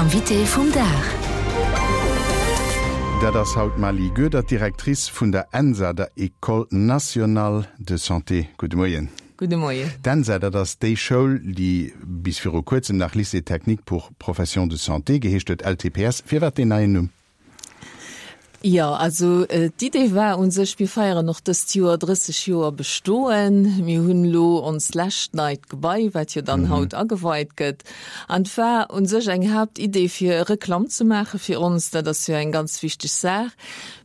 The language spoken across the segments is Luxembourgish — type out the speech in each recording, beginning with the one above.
Invité vum Dag. Dat ass haut d'Maly Goedert, Directrice vun der ENSA, der École nationale de santé. Gudde Moien. Gudde Moien. D'ENSA, dat ass déi Schoul, déi bis viru kuerzem nach Lycée technique pour professions de santé geheescht huet, LTPS. Firwat deen neien Numm? Jo, also d'Idee war u sech, mir feieren och dëst Joer 30 Joer Bestoen. Mir hunn elo onst lescht neit Gebai, wat jo dann haut ageweit gëtt. An et war u sech eng Haaptidee, fir Reklamm ze maache fir ons. Dat ass jo eng ganz wichteg Saach.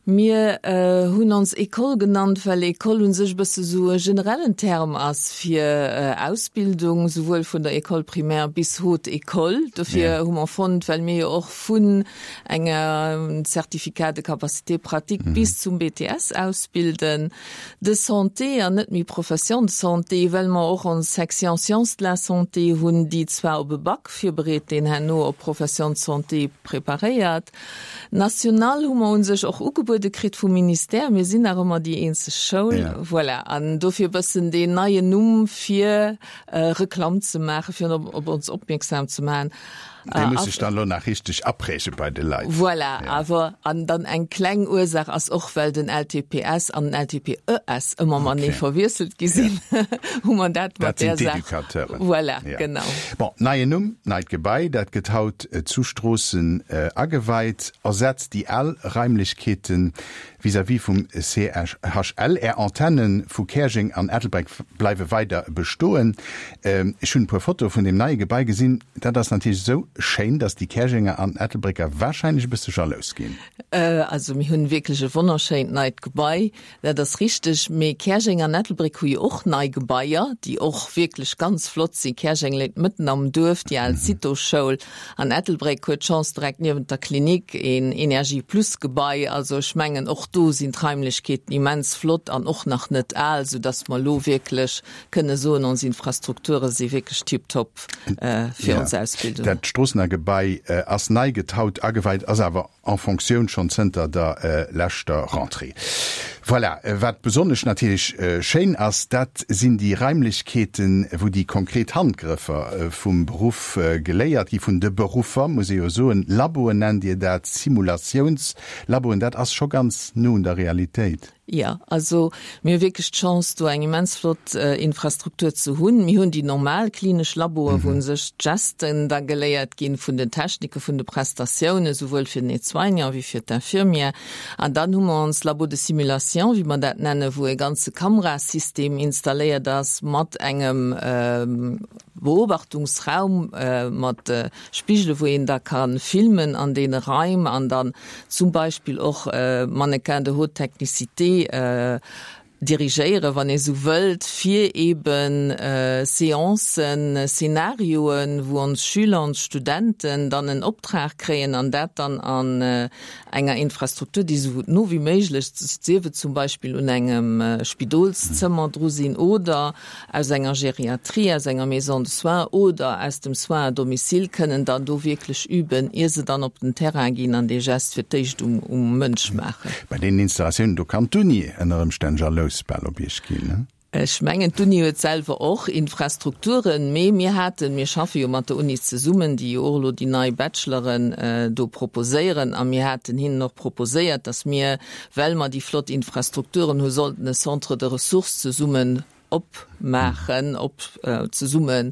Mir hunn ons École genannt, well École u sech e bësse sou e generellen Term ass fir Ausbildung, souwuel vun der École primaire bis Haute École. Dofir hu mer fonnt, well mir jo och vun engem Certificat de capacité pratique bis zum BTS ausbilden, de santé an net méi Profession de santé, well mer och ons Section Sciences de la santé hunn, déi zwar op e Bac virbereet, deen herno op Profession de santé preparéiert. National hu mer u sech och ugebuede kritt vum Ministère. Mir sinn nach ëmmer déi eenzeg Schoul. Voilà. An dofir e bëssen deen neien Numm, fir Reklamm ze maachen, fir op ons opmierksam ze maachen. Dee muss sech dann elo nach richteg apräge bei de Leit. Voilà. Awer, an dann eng kleng Ursaach ass och, well den LTPS an den LTPES ëmmer matenee verwiesselt gi sinn, hu mer dat mat där Saach. Dat sinn d'Educateuren. Voilà, genau. Bon, neien Numm, neit Gebai, dat gëtt haut zu Stroossen ageweit, ersetzt déi al Raimlechkeete vis-à-vis vum CHL. Är Antenne vu Käerjeng an Ettelbréck bleiwe weider bestoen. Ech hunn e puer Fotoe vun deem neie Gebai gesinn. Dat ass natierlech esou schéin, datt déi Käerjenger an Ettelbrécker warscheinlech e bësse jalous ginn. Also mir hunn wierklech e wonnerschéint neit Gebai. Dat ass richteg, mee Käerjeng an Ettelbréck hu jo och nei Gebaier, déi och wierklech ganz flott sinn. Käerjeng léit mëtten am Duerf, déi al Cito-Schoul, an Ettelbréck huet d'Chance direkt niewent der Klinik een Energie Plus Gebai. Also ech mengen, och do sinn d'Raimlechkeeten immens flott an och nach net al, soudass mer elo wierklech kënne soen, ons Infrastrukture si wierklech tiptop fir ons Ausbildung. Dat Stroossener Gebai ass nei, gëtt haut ageweit, ass awer en Fonctioun schonn zënter der leschter Rentrée. Voilà, wat besonnesch natierlech schéin ass, dat sinn déi Raimlechkeeten, wou déi konkret Handgrëffer vum Beruff geléiert gi, vun de Beruffer, muss ee jo soen. Laboen nennt Dir dat, Simulatiounslaboen, dat ass scho ganz no un der Realitéit. Jo, also mir hu wierklech d'Chance, do eng immens flott Infrastruktur ze hunn. Mir hunn déi normal klinesch Laboe wou u sech d'Gesten da geléiert ginn vun den Technike vun de Prestatiounen, souwuel fir den Aide-soignant wéi fir d'Infirmière. An dann hu mer ons Labo de simulation, wéi mer dat nennen, wou e ganze Kamerasystem installéiert ass mat engem Beobachtungsraum mat Spigele wou een da ka filmen an deene Raim an dann zum Beispill och Mannequins de haute technicité dirigéieren, wann ee sou wëllt, fir eeben Seancen, Szenarioen, wou ons Schüler, ons Studenten dann en Optrag kréien an dat dann an enger Infrastruktur, déi esou no wéi méiglech, sief et zum Beispill un engem Spidolszëmmer dru sinn oder aus enger Geriatrie, aus enger Maison de soins oder aus dem Soins à domicile, kënnen dann do wierklech üben, ier se dann op den Terrain ginn an dee Gest fir d'éischt um Mënsch maachen. Bei deenen Installatiounen do kann d'Uni ënner Ëmstänn jalous bal op Iech ginn, ne? Ech mengen, d'Uni huet selwer och Infrastrukturen, mee mir haten, mir schaffe jo mat der Uni zesummen, déi jo och elo déi nei Bacheloren do proposéieren, a mir haten hinnen och proposéiert, datt mir, well mer déi flott Infrastrukturen hu, sollten e Centre de ressources zesummen opmaachen, op zesumme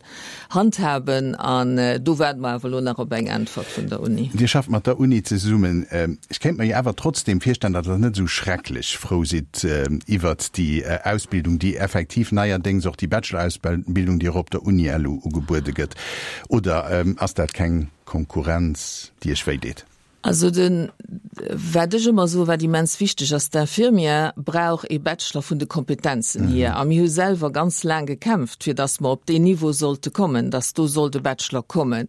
handhaben. An do waarde mer awer elo nach op eng Äntwert vun der Uni. Dir schafft mat der Uni zesummen. Ech kéint mer jo awer trotzdem virstellen, datt Der net esou schrecklech frou sidd iwwert déi Ausbildung, déi effektiv neierdéngs och déi Bachelor-Ausbildung, déi och op der Uni elo ugebuede gëtt. Oder ass dat keng Konkurrenz, déi Iech wéideet? Also den, wat ech ëmmer soen, wat immens wichteg ass, d'Infirmière brauch ee Bachelor vun de Kompetenzen hier. A mir hu selwer ganz laang gekämpft, fir datt mer op deen Niveau sollte kommen, datt do sollt e Bachelor kommen.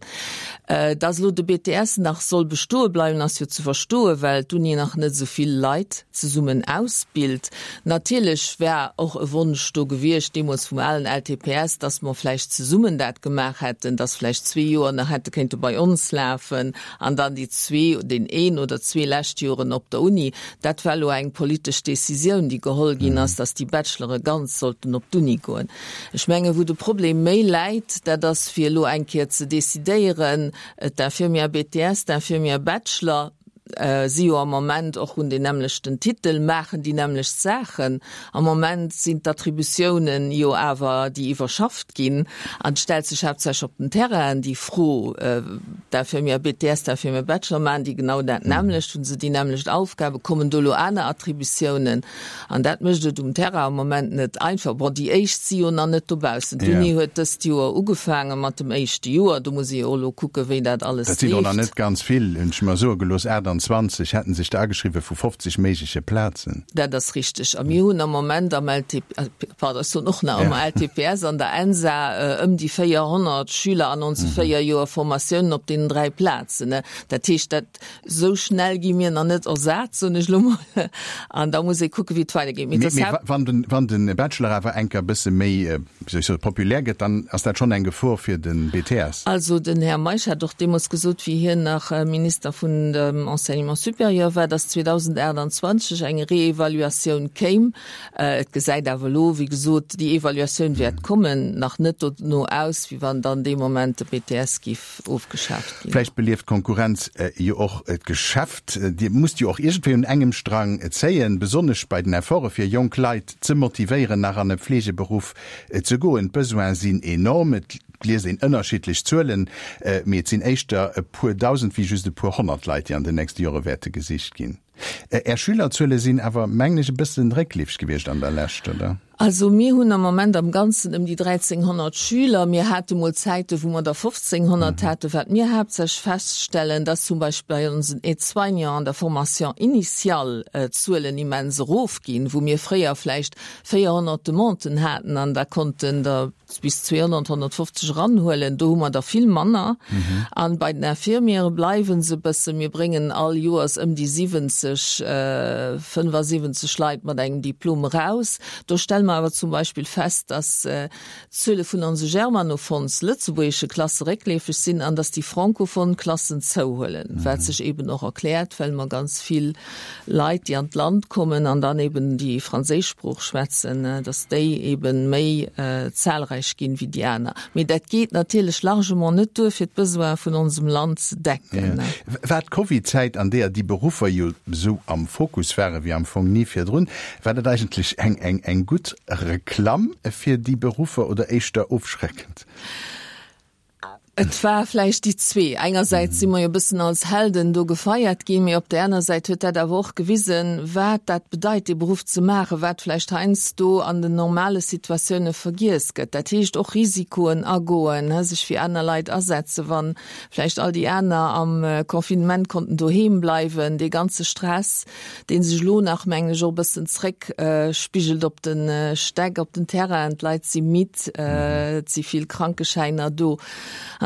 Datt elo de BTS nach soll bestoe bleiwen, ass jo ze verstoen, well d'Uni nach net esou vill Leit zesummen ausbilt. Natierlech wär och e Wonsch do gewiescht, deemools vum alen LTPS, datt mer vläicht zesummen dat gemaach hätten, datt vläicht zwee Joer nach hätte kéinte bei ons lafen an dann déi zwee, deen een oder zwee. lescht Joren op der Uni. Dat war elo eng politesch Décisioun, déi geholl ginn ass, dass déi Bachelore ganz sollten op d'Uni goen. Ech mengen, wou de Problem méi läit, dat ass fir elo eng Kéier ze décidéieren, d'Infirmière BTS, d'Infirmière Bachelor si jo am Moment och hunn deen nämmlechten Titel, maachen déi nämmlecht Saachen. Am Moment sinn d'Attributiounen jo awer déi iwwerschafft ginn an et stellt sech haaptsächlech op den Terrainen déi Fro, d'Infirmière BTS, d'Infirmière Bachelor, maachen déi genau dat nämmlecht, hu se déi nämmlecht Aufgaben, kommen do elo aner Attributiounen? An dat mécht et um Terrain am Moment net einfach. Bon, déi éischt si jo nach net dobaussen. D'Uni huet dëst Joer ugefaange mat dem éischte Joer. Do muss ee jo och elo kucken, wéi dat alles leeft. Dat sinn och nach net ganz vill, hunn ech mer soe gelooss. 28 hätte sech der ageschriwwen vu 50 méigleche Plazen. Dat ass richteg. A mir hunn am Moment am LTP, pardon, ech soen och nach ëmmer LTPS, an der ENSA ëm déi 400 Schüler an onse 4 Joer Formatiounen op deenen 3 Plazen. Dat heescht, dat Sou schnell gi mir nach net ersat, soen ech elo mol. An da muss ee kucken, wéi et weidergeet. Mee mee wann den, wann de Bachelor awer enker e bësse méi, wéi soll ech soen, populär gëtt, dann ass dat schonn eng Gefor fir de BTS. Also den Här Meisch hat och deemools gesot, wéi hien nach Minister vun dem Enseignement supérieur war, dass 2028 eng Reevaluatioun kéim. Et gesäit awer elo, wéi gesot, déi Evaluatioun wäert kommen, nach net dono aus, wéi wann dann dee Moment de BTS géif ofgeschaaft ginn. Vläicht belieft d'Konkurrenz jo och d'Geschäft. Dir musst jo och iergendwéi un engem Strang zéien, besonnesch bei den Efforte fir jonk Leit ze motivéieren, nach an e Fleegeberuff ze goen. D'Besoine sinn enorm, et liest een ënnerschiddlech Zuelen, mee et sinn éischter e puer Dausend wéi just e puer Honnert Leit, déi an den nächste Jore wäerte gesicht ginn. Är Schülerzuele sinn awer, mengen ech, e bëssen réckleefeg gewiescht an der Lescht, oder? Also mir hunn am Moment am Ganzen ëm déi 1.300 Schüler. Mir hate mol Zäiten, wou mer der 1.500 haten. Wat mir haaptsächlech feststellen, dass zum Beispill bei onsen Aide-soignants an der Formation initiale d'Zuelen immens erofginn, wou mir fréier vläicht 400 Demanden haten an da konnten der bis 200, 150 eranhuelen, do hu mer der vill manner. An bei den Infirmiere bleiwe se e bëssen. Mir bréngen all Joers ëm déi 70, 75 Leit mat engem Diplom eraus. Do stelle mer awer zum Beispill fest, dass d'Zuele vun onse germanophons, lëtzebuergesche Klasse réckleefeg sinn an dass déi francophon Klassen zouhuelen, wat sech eeben och erkläert, well mer ganz vill Leit, déi an d'Land kommen an dann eben déi franséisch Sprooch schwätzen, datt déi eben méi zahlreich ginn wéi déi aner. Mee dat geet natierlech largement net duer, fir d'Besoine vun onsem Land ze decken. War d'Covid-Zäit, an deeër déi Beruffer jo esou am Fokus ware wéi am Fong ni virdrun, war dat eigentlech eng eng gutt Reklamm fir déi Beruffer oder éischter ofschreckend? Et war vläicht déi zwee. Engersäits si mer jo e bëssen als Helden do gefeiert ginn, mee op där aner Säit huet dat awer och gewisen, wat dat bedeit, dee Beruff ze maachen, wat vläicht heiansdo an den normale Situatioune vergiess gëtt. Dat heescht och Risikoen agoen, sech fir aner Leit asetzen, wa vläicht all déi aner am Confinement konnten doheem bleiwen, dee ganze Stress, dee sech elo nach, mengen ech, och e bëssen zréck spigelt op de Stäck, op den Terrainen. D'Leit si midd, et si vill Krankeschäiner do.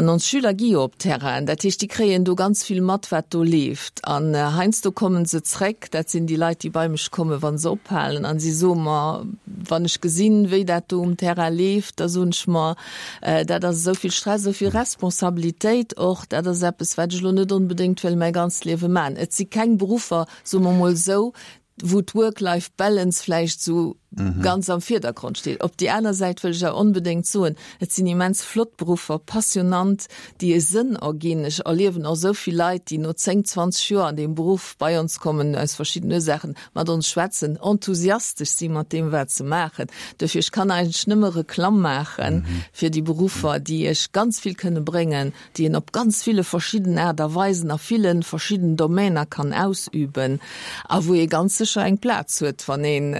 An ons Schüler gi jo op d'Terrainen, dat heescht, déi kréien do ganz vill mat, wat do leeft. An heiansdo kommen se zréck, dat sinn déi Leit, déi bei mech kommen, wa se ophalen, a si soe mer, Wann ech gesinn, wéi dat do um Terrain leeft, da soen ech mer, Dat ass esou vill Stress, esou vill Responsabilitéit och, dat ass eppes, wat ech elo net onbedéngt wëll mäi ganzt Liewe maachen. Et si keng Beruffer, soe mer emol esou, wou d'Work-Life-Balance vläicht esou ganz am Virdergrond steet. Op déi aner Säit wëll ech awer onbedéngt soen, et sinn immens flott Beruffer, passionnant, déi e Sënn erginn. Ech erliewen och esou vill Leit, déi no 10, 20 Joer an deem Beruff bei ons kommen, aus verschiddenen Ursaachen, mat ons schwätzen, enthusiastesch si mat deem wat se maachen. Duerfir, ech kann eigentlech nëmme Reklamm maache fir déi Beruffer, déi Iech ganz vill kënne bréngen, déi een op ganz ville verschidden Aart a Weisen a ville verschidden Domainer kann ausüben a wou ee ganz sécher eng Plaz huet, wann een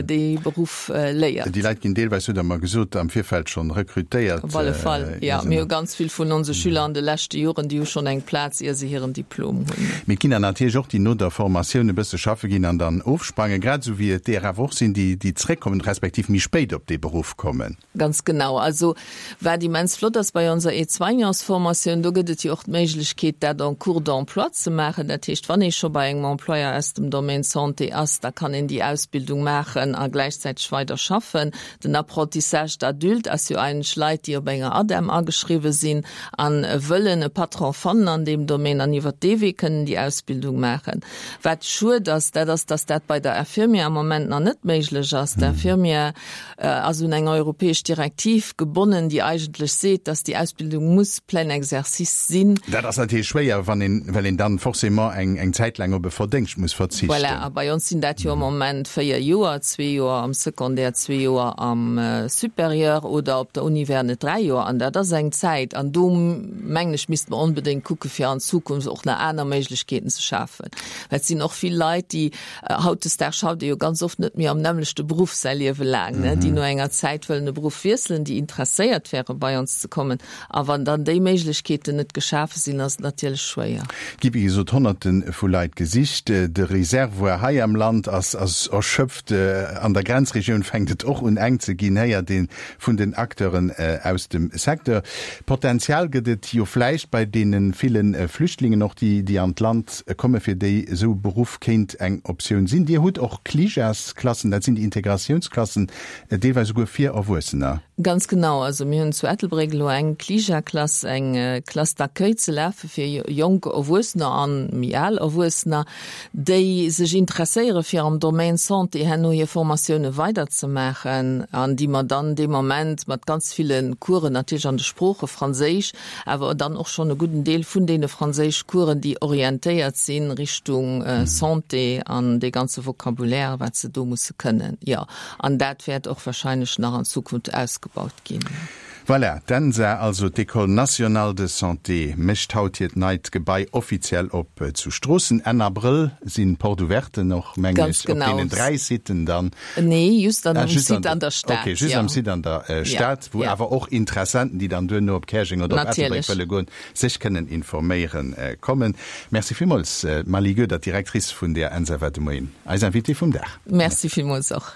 dee Beruff léiert. Déi Leit ginn deelweis, hutt Der mer gesot, am Virfeld schonn rekrutéiert. Op alle Fall, jo. Mir hu ganz vill vun onse Schüler an de leschte Joren, déi hu schonn eng Plaz, ier se hiren Diplom hunn. Mee et ginn der natierlech och, déi no der Formatioun e bësse schaffe ginn an dann ofsprangen, grad esou wéi et deeër awer och sinn, déi déi zréckkommen, respektiv méi spéit op dee Beruff kommen. Ganz genau. Also wat immens flott ass bei onser Aide-soignantsformatioun, do gëtt et jo och d'Méiglechkeet, dat en cours d'emploi ze maachen. Dat heescht, wann ee scho bei engem Employeur aus dem Domaine Santé ass. ass, da kann een déi Ausbildung maachen a gläichzäiteg weider schaffen. Den Apprentissage d'adulte ass jo eigentlech Leit, déi op enger ADEM ageschriwwe sinn a wëllen e Patron fannen an deem Domaine an iwwert dee Wee kënnen déi Ausbildung maachen. Wat schued ass, dat ass, dass dat bei der Infirmière am Moment nach net méiglech ass. D'Infirmière ass un eng europäesch Direktiv gebonnen, déi eigentlech seet, dass déi Ausbildung muss plein exercice sinn. Dat ass natierlech schwéier, wann een, well een dann forcément eng, eng Zäit laang op e Verdéngscht muss verzichten. Voilà, a bei ons sinn dat jo am Moment 4 Joer, zwee Joer am Secondaire, zwee Joer am Supérieur oder op der Uni wären et 3 Joer. An dat ass eng Zäit, an do mengen ech, misste mer onbedéngt kucke fir an Zukunft och nach aner Méiglechkeeten ze schafen. Well et sinn och vill Leit, déi, hautdesdaags schafft ee jo ganz oft net méi am nämmlechte Beruff säi Liewe laang, ne, déi no enger Zäit wëllen e Beruff wiesselen, déi interesséiert wäre bei ons ze kommen. A wann dann déi Méiglechkeeten net geschafe sinn, ass et natierlech schwéier. Et gi wéi gesot Honnerte vu Leit gesicht. De Reservoir hei am Land ass erschöpft. An der Grenzregioun fänkt et och un enk ze ginn, héiert ee vun den Acteuren aus dem Secteur. Potenzial gëtt et jo vläicht bei deene ville Flüchtlingen och, déi an d'Land kommen, fir déi esou e Beruff kéint eng Optioun sinn. Dir hutt och Clijas-Klassen, dat sinn déi Integratiounsklassen, deelweis esouguer fir Erwuessener. Ganz genau. Also mir hunn zu Ettelbréck elo eng Clija-Klass, eng Classe d'accueil ze lafe fir jonk Erwuessener an méi al Erwuessener, déi sech interesséiere fir am Domaine Santé herno hir Formatioune weiderzemaachen an déi mer dann dee Moment mat ganz ville Coursen, natierlech an de Sprooche Franséisch, awer dann och schonn e gudden Deel vun deene Franséischcoursen, déi orientéiert si Richtung Santé an dee ganze Vocabulaire, wat se do musse kënnen. Jo, an dat wäert och wahrscheinlech nach an Zukunft ausgebaut ginn. Voilà, d'ENSA, also d'École nationale de santé, mécht haut hiert neit Gebai offiziell op zu Stroossen. Enn Abrëll sinn d'Porte-ouverten och, mengen ech, op deenen 3 Sitten dann. Nee, just an, um Site an der Stad. Okay, just am Site an der Stad, wou awer och Interessenten, déi dann duerno op Käerjeng oder op Ettelbréck wëlle goen, sech kënnen informéiere kommen. Merci villmools, d'Marly Goedert, Directrice vun der ENSA, war de Moien eis Invitée vum Dag. Merci villmools och.